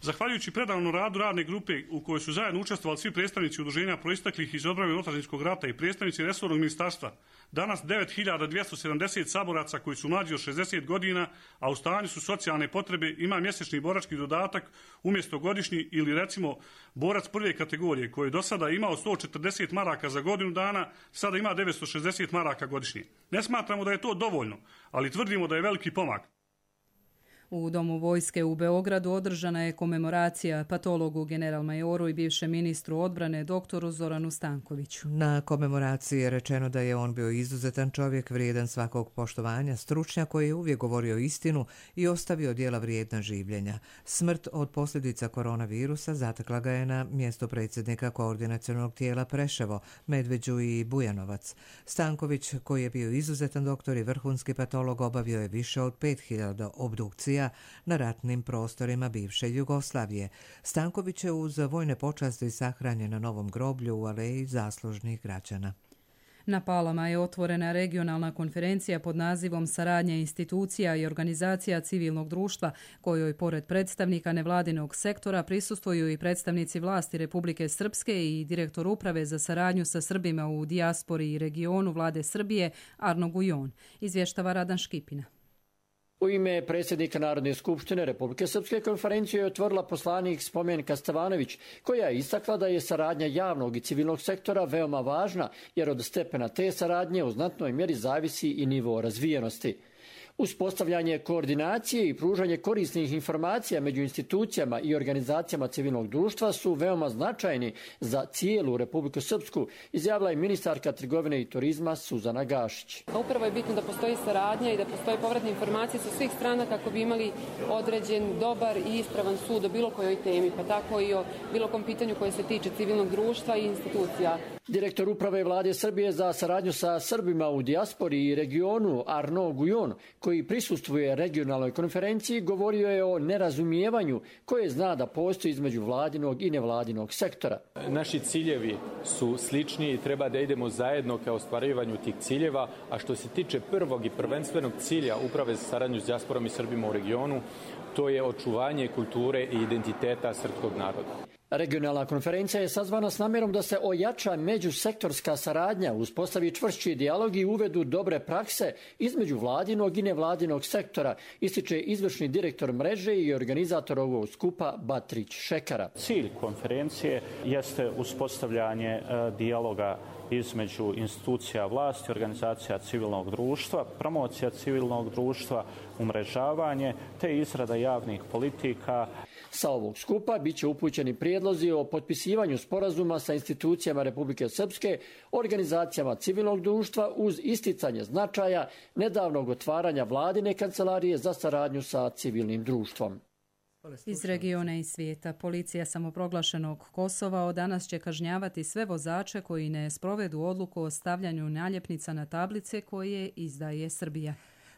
Zahvaljujući predavnom radu radne grupe u kojoj su zajedno učestvovali svi predstavnici udruženja proisteklih iz odbrane od otadžbinskog rata i predstavnici resornog ministarstva, danas devet hiljada dvjesto sedamdeset saboraca koji su mlađi od šezdeset godina, a u stanju su socijalne potrebe, ima mjesečni borački dodatak umjesto godišnji ili recimo borac prve kategorije koji je do sada imao sto četrdeset maraka za godinu dana, sada ima devetsto šezdeset maraka godišnje. Ne smatramo da je to dovoljno, ali tvrdimo da je veliki pomak. U Domu vojske u Beogradu održana je komemoracija patologu generalmajoru i bivšem ministru odbrane doktoru Zoranu Stankoviću. Na komemoraciji je rečeno da je on bio izuzetan čovjek, vrijedan svakog poštovanja, stručnjak koji je uvijek govorio istinu i ostavio djela vrijedna življenja. Smrt od posljedica koronavirusa zatekla ga je na mjesto predsjednika koordinacionog tijela Preševo, Medveđu i Bujanovac. Stanković, koji je bio izuzetan doktor i vrhunski patolog, obavio je više od pet hiljada obdukcija na ratnim prostorima bivše Jugoslavije. Stanković je uz vojne počasti sahranjen na novom groblju u aleji zaslužnih građana. Na Palama je otvorena regionalna konferencija pod nazivom Saradnja institucija i organizacija civilnog društva, kojoj pored predstavnika nevladinog sektora prisustvuju i predstavnici vlasti Republike Srpske i direktor uprave za saradnju sa Srbima u dijaspori i regionu vlade Srbije Arno Gujon, izvještava Radan Škipina. U ime predsjednika Narodne skupštine Republike Srpske konferenciju je otvorila poslanik Spomenka Stevanović, koja je istakla da je saradnja javnog i civilnog sektora veoma važna, jer od stepena te saradnje u znatnoj mjeri zavisi i nivo razvijenosti. Uspostavljanje koordinacije i pružanje korisnih informacija među institucijama i organizacijama civilnog društva su veoma značajni za cijelu Republiku Srpsku, izjavila je ministarka trgovine i turizma Suzana Gašić. Upravo je bitno da postoji saradnja i da postoje povratne informacije sa svih strana kako bi imali određen, dobar i ispravan sud o bilo kojoj temi, pa tako i o bilo kom pitanju koje se tiče civilnog društva i institucija. Direktor uprave Vlade Srbije za saradnju sa Srbima u dijaspori i regionu Arnaud Guyon, koji prisustvuje regionalnoj konferenciji, govorio je o nerazumijevanju koje zna da postoji između vladinog i nevladinog sektora. Naši ciljevi su slični i treba da idemo zajedno ka ostvarivanju tih ciljeva, a što se tiče prvog i prvenstvenog cilja uprave za saradnju s dijasporom i Srbima u regionu, to je očuvanje kulture i identiteta srpskog naroda. Regionalna konferencija je sazvana s namjerom da se ojača međusektorska saradnja, uspostavi čvršći dijalog i uvedu dobre prakse između vladinog i nevladinog sektora, ističe izvršni direktor mreže i organizator ovog skupa Batrić Šekara. Cilj konferencije jeste uspostavljanje e, dijaloga između institucija vlasti, organizacija civilnog društva, promocija civilnog društva, umrežavanje te izrada javnih politika. Sa ovog skupa bit će upućeni prijedlozi o potpisivanju sporazuma sa institucijama Republike Srpske, organizacijama civilnog društva uz isticanje značaja nedavnog otvaranja vladine kancelarije za saradnju sa civilnim društvom. Iz regiona i svijeta, policija samoproglašenog Kosova od danas će kažnjavati sve vozače koji ne sprovedu odluku o stavljanju naljepnica na tablice koje izdaje Srbija.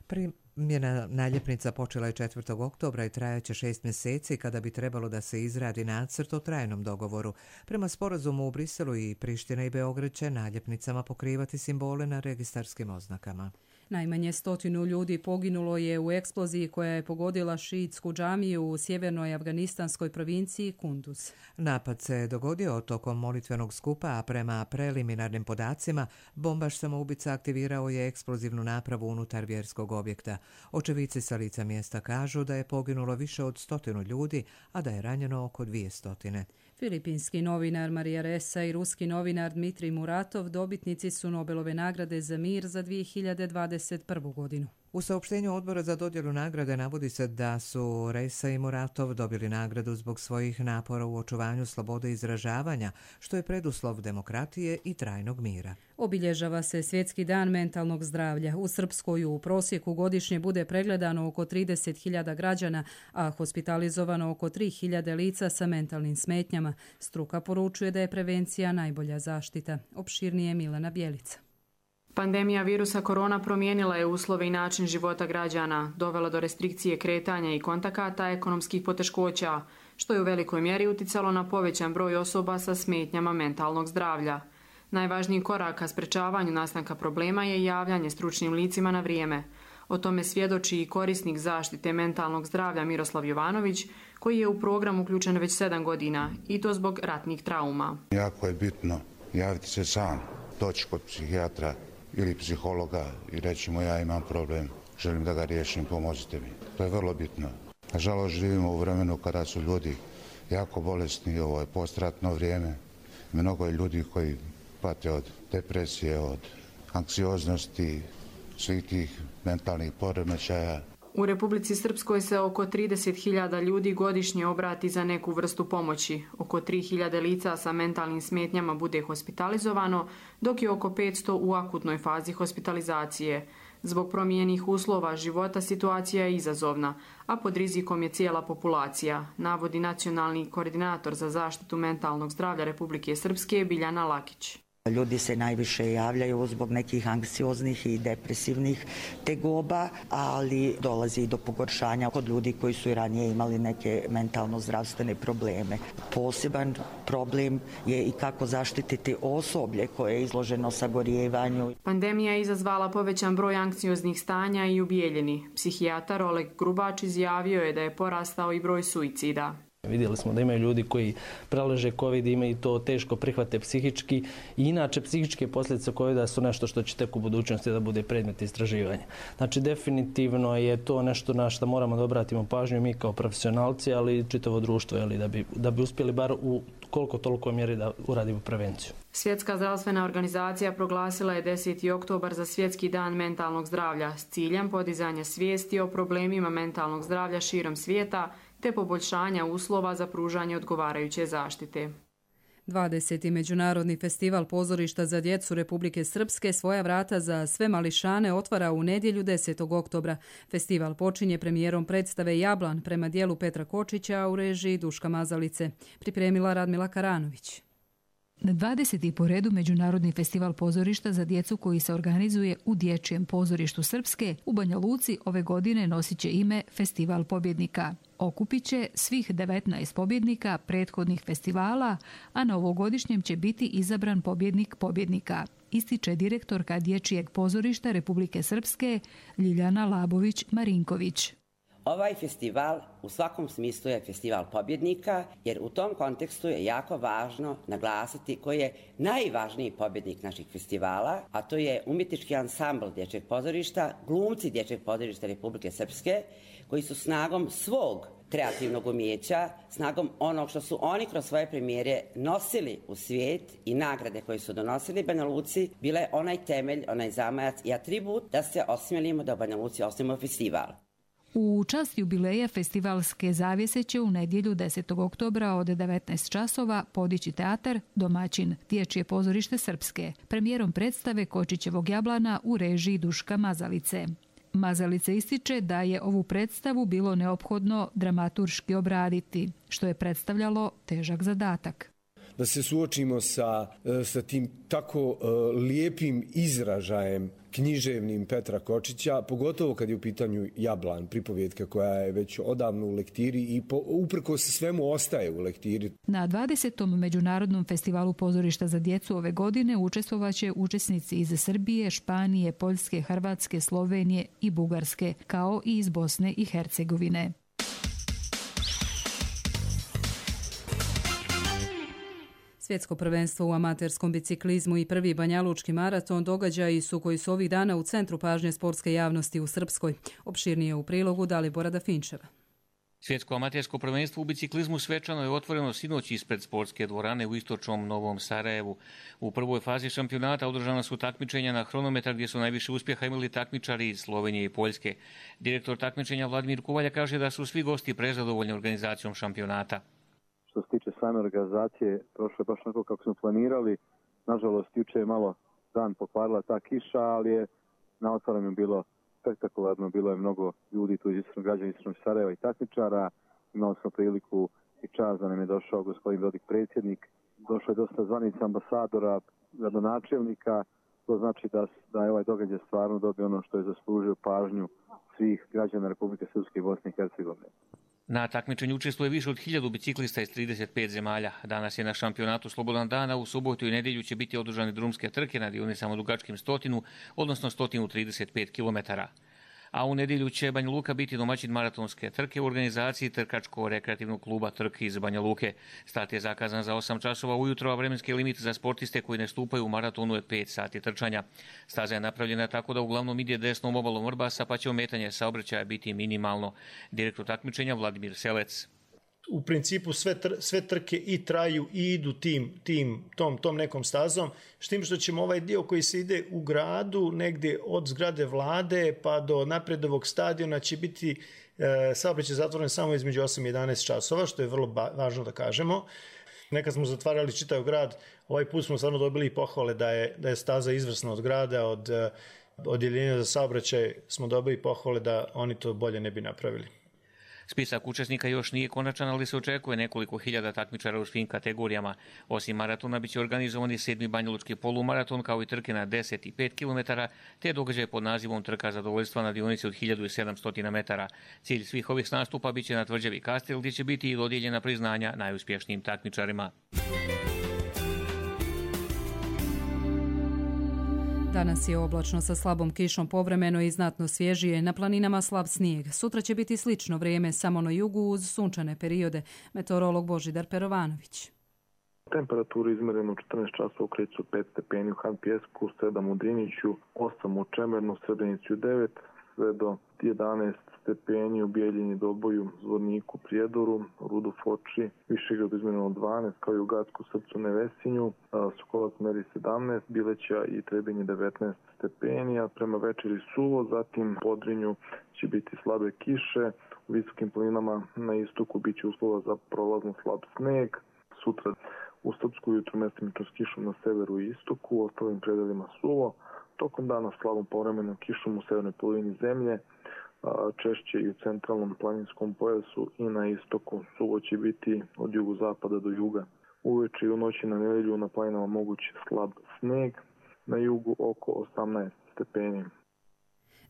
Primjena naljepnica počela je četvrtog oktobra i trajaće šest mjeseci kada bi trebalo da se izradi nacrt o trajnom dogovoru. Prema sporazumu u Briselu i Priština i Beograd će naljepnicama pokrivati simbole na registarskim oznakama. Najmanje stotinu ljudi poginulo je u eksploziji koja je pogodila šiitsku džamiju u sjevernoj afganistanskoj provinciji Kunduz. Napad se dogodio tokom molitvenog skupa, a prema preliminarnim podacima bombaš samoubica aktivirao je eksplozivnu napravu unutar vjerskog objekta. Očevici sa lica mjesta kažu da je poginulo više od stotinu ljudi, a da je ranjeno oko dvije stotine. Filipinski novinar Marija Ressa i ruski novinar Dmitrij Muratov dobitnici su Nobelove nagrade za mir za dvije hiljade dvadeset prvu godinu. U saopštenju odbora za dodjelu nagrade navodi se da su Ressa i Muratov dobili nagradu zbog svojih napora u očuvanju slobode izražavanja, što je preduslov demokratije i trajnog mira. Obilježava se Svjetski dan mentalnog zdravlja. U Srpskoj u prosjeku godišnje bude pregledano oko trideset hiljada građana, a hospitalizovano oko tri hiljade lica sa mentalnim smetnjama. Struka poručuje da je prevencija najbolja zaštita. Opširnije Milena Bjelica. Pandemija virusa korona promijenila je uslove i način života građana, dovela do restrikcije kretanja i kontakata, ekonomskih poteškoća, što je u velikoj mjeri uticalo na povećan broj osoba sa smetnjama mentalnog zdravlja. Najvažniji korak ka sprečavanju nastanka problema je javljanje stručnim licima na vrijeme. O tome svjedoči i korisnik zaštite mentalnog zdravlja Miroslav Jovanović, koji je u program uključen već sedam godina, i to zbog ratnih trauma. Jako je bitno javiti se sam, doći kod psihijatra ili psihologa i reći mu ja imam problem, želim da ga riješim, pomozite mi. To je vrlo bitno. Nažalost, živimo u vremenu kada su ljudi jako bolesni, ovo je postratno vrijeme. Mnogo je ljudi koji pate od depresije, od anksioznosti, svih tih mentalnih poremećaja. U Republici Srpskoj se oko trideset hiljada ljudi godišnje obrati za neku vrstu pomoći. Oko tri hiljade lica sa mentalnim smetnjama bude hospitalizovano, dok je oko petsto u akutnoj fazi hospitalizacije. Zbog promijenjenih uslova života situacija je izazovna, a pod rizikom je cijela populacija, navodi nacionalni koordinator za zaštitu mentalnog zdravlja Republike Srpske Biljana Lakić. Ljudi se najviše javljaju zbog nekih anksioznih i depresivnih tegoba, ali dolazi i do pogoršanja kod ljudi koji su i ranije imali neke mentalno-zdravstvene probleme. Poseban problem je i kako zaštititi osoblje koje je izloženo sagorijevanju. Pandemija je izazvala povećan broj anksioznih stanja i ubijeljeni. Psihijatar Oleg Grubač izjavio je da je porastao i broj suicida. Vidjeli smo da imaju ljudi koji preleže COVID, imaju to teško prihvate psihički i inače psihičke posljedice covida su nešto što će tek u budućnosti da bude predmet istraživanja. Znači definitivno je to nešto na što moramo da obratimo pažnju mi kao profesionalci, ali i čitavo društvo, jeli, da bi, da bi uspjeli bar u koliko toliko mjeri da uradimo prevenciju. Svjetska zdravstvena organizacija proglasila je deseti oktobar za Svjetski dan mentalnog zdravlja s ciljem podizanja svijesti o problemima mentalnog zdravlja širom svijeta te poboljšanja uslova za pružanje odgovarajuće zaštite. dvadeseti Međunarodni festival pozorišta za djecu Republike Srpske svoja vrata za sve mališane otvara u nedjelju desetog oktobra. Festival počinje premijerom predstave Jablan prema dijelu Petra Kočića u režiji Duška Mazalice. Pripremila Radmila Karanović. dvadeseti po redu Međunarodni festival pozorišta za djecu koji se organizuje u Dječjem pozorištu Srpske u Banja Luci ove godine nosit će ime Festival pobjednika. Okupit će svih devetnaest pobjednika prethodnih festivala, a na ovogodišnjem će biti izabran pobjednik pobjednika, ističe direktorka Dječjeg pozorišta Republike Srpske Ljiljana Labović-Marinković. Ovaj festival u svakom smislu je festival pobjednika, jer u tom kontekstu je jako važno naglasiti koji je najvažniji pobjednik naših festivala, a to je umjetnički ansambl Dječjeg pozorišta, glumci Dječjeg pozorišta Republike Srpske, koji su snagom svog kreativnog umijeća, snagom onog što su oni kroz svoje premijere nosili u svijet i nagrade koje su donosili Banja Luci, bile onaj temelj, onaj zamajac i atribut da se osmjelimo da u Banja Luci osnujemo festival. U čast jubileja festivalske zavjese će u nedjelju desetog oktobra od devetnaest časova podići teatar domaćin Dječje pozorište Srpske, premijerom predstave Kočićevog Jablana u režiji Duška Mazalice. Mazalice ističe da je ovu predstavu bilo neophodno dramaturški obraditi, što je predstavljalo težak zadatak. Da se suočimo sa, sa tim tako uh, lijepim izražajem književnim Petra Kočića, pogotovo kad je u pitanju Jablan, pripovjetka koja je već odavno u lektiri i po, uprkos svemu ostaje u lektiri. Na dvadesetom Međunarodnom festivalu pozorišta za djecu ove godine učestvovaće učesnici iz Srbije, Španije, Poljske, Hrvatske, Slovenije i Bugarske, kao i iz Bosne i Hercegovine. Svjetsko prvenstvo u amaterskom biciklizmu i prvi banjalučki maraton događaji su koji su ovih dana u centru pažnje sportske javnosti u Srpskoj. Opširnije u prilogu Dalibora Dafinčeva. Svjetsko amatersko prvenstvo u biciklizmu svečano je otvoreno sinoć ispred sportske dvorane u istočnom Novom Sarajevu. U prvoj fazi šampionata održana su takmičenja na hronometar gdje su najviše uspjeha imali takmičari iz Slovenije i Poljske. Direktor takmičenja Vladimir Kuvalja kaže da su svi gosti prezadovoljni organizacijom šampionata. Što se tiče same organizacije, prošlo je baš onako kako smo planirali. Nažalost, juče je malo dan pokvarila ta kiša, ali je na otvaranju bilo spektakularno. Bilo je mnogo ljudi tu iz istočnog građana, istočnog Sarajeva i takmičara. Imali smo priliku i čast da nam je došao gospodin Dodik predsjednik. Došlo je dosta zvanica ambasadora, gradonačelnika. To znači da, da je ovaj događaj stvarno dobio ono što je zaslužio pažnju svih građana Republike Srpske i Bosne i Hercegovine. Na takmičenju učestvuje više od hiljadu biciklista iz trideset pet zemalja. Danas je na šampionatu slobodan dan, a u subotu i nedjelju će biti održane drumske trke na dionicama dugačkim stotinu, odnosno sto trideset pet kilometara. A u nedjelju će Banja Luka biti domaćin maratonske trke u organizaciji Trkačko-rekreativnog kluba Trk iz Banja Luke. Start je zakazan za osam časova ujutro, a vremenski limit za sportiste koji ne stupaju u maratonu je pet sati trčanja. Staza je napravljena tako da uglavnom ide desnom obalom Vrbasa, pa će ometanje saobraćaja biti minimalno. Direktor takmičenja Vladimir Selec. U principu sve, tr sve trke i traju i idu tim, tim, tom, tom nekom stazom, s tim što ćemo ovaj dio koji se ide u gradu, negdje od zgrade vlade pa do napredovog stadiona će biti e, saobraćaj zatvoren samo između osam i jedanaest časova, što je vrlo važno da kažemo. Nekad smo zatvarali čitav grad, ovaj put smo stvarno dobili pohvale da je, da je staza izvrsna od grada, od odjeljenja za saobraćaj smo dobili pohvale da oni to bolje ne bi napravili. Spisak učesnika još nije konačan, ali se očekuje nekoliko hiljada takmičara u svim kategorijama. Osim maratona biće organizovani sedmi banjalučki polumaraton kao i trke na deset i pet kilometara, te događaj pod nazivom Trka zadovoljstva na dionici od hiljadu sedamsto metara. Cilj svih ovih nastupa biće na tvrđavi Kastel, gdje će biti i dodijeljena priznanja najuspješnijim takmičarima. Danas je oblačno sa slabom kišom povremeno i znatno svježije, na planinama slab snijeg. Sutra će biti slično vrijeme, samo na jugu uz sunčane periode. Meteorolog Božidar Perovanović. Temperaturu izmerenu u četrnaest časova u Kreću pet stepeni, u Han Pjesku sedam, u Driniću osam, u Čemernu, Srebrenicu devet, sve do jedanaest stepeni u Bijeljini, Doboju, Zvorniku, Prijedoru, Rudu, Foči, Višegradu izmereno dvanaest, kao i u Gacku, Srpcu, Nevesinju, Sokolac meri sedamnaest, Bileća i Trebinje devetnaest stepeni, a prema večeri suvo, zatim u Podrinju će biti slabe kiše, u visokim planinama na istoku bit će uslova za prolazno slab sneg, sutra u Srpsku jutru mestimično s kišom na severu i istoku, u ostalim predelima suvo, tokom dana slabom povremenom kišom u severnoj polovini zemlje, češće i u centralnom planinskom pojasu i na istoku. Suvo će biti od jugozapada do juga. Uveče i u noći na nedelju na planinama moguć slab sneg, na jugu oko osamnaest stepeni.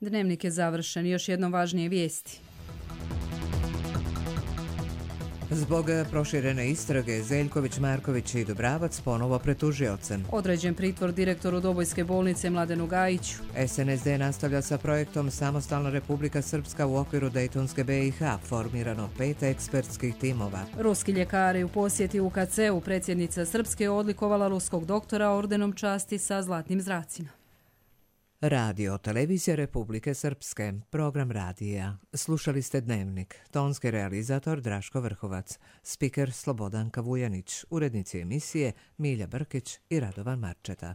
Dnevnik je završen. Još jednom važnije vijesti. Zbog proširene istrage Zeljković, Marković i Dubravac ponovo pred tužiocem. Određen pritvor direktoru Dobojske bolnice Mladenu Gajiću. S N S D nastavlja sa projektom Samostalna Republika Srpska u okviru Dejtonske B i H, formirano pet ekspertskih timova. Ruski ljekari u posjeti U K C-u, predsjednica Srpske odlikovala ruskog doktora ordenom časti sa zlatnim zracima. Radio Televizija Republike Srpske, program radija. Slušali ste Dnevnik, tonski realizator Draško Vrhovac, spiker Slobodanka Vujanić, urednici emisije Milja Brkić i Radovan Marčeta.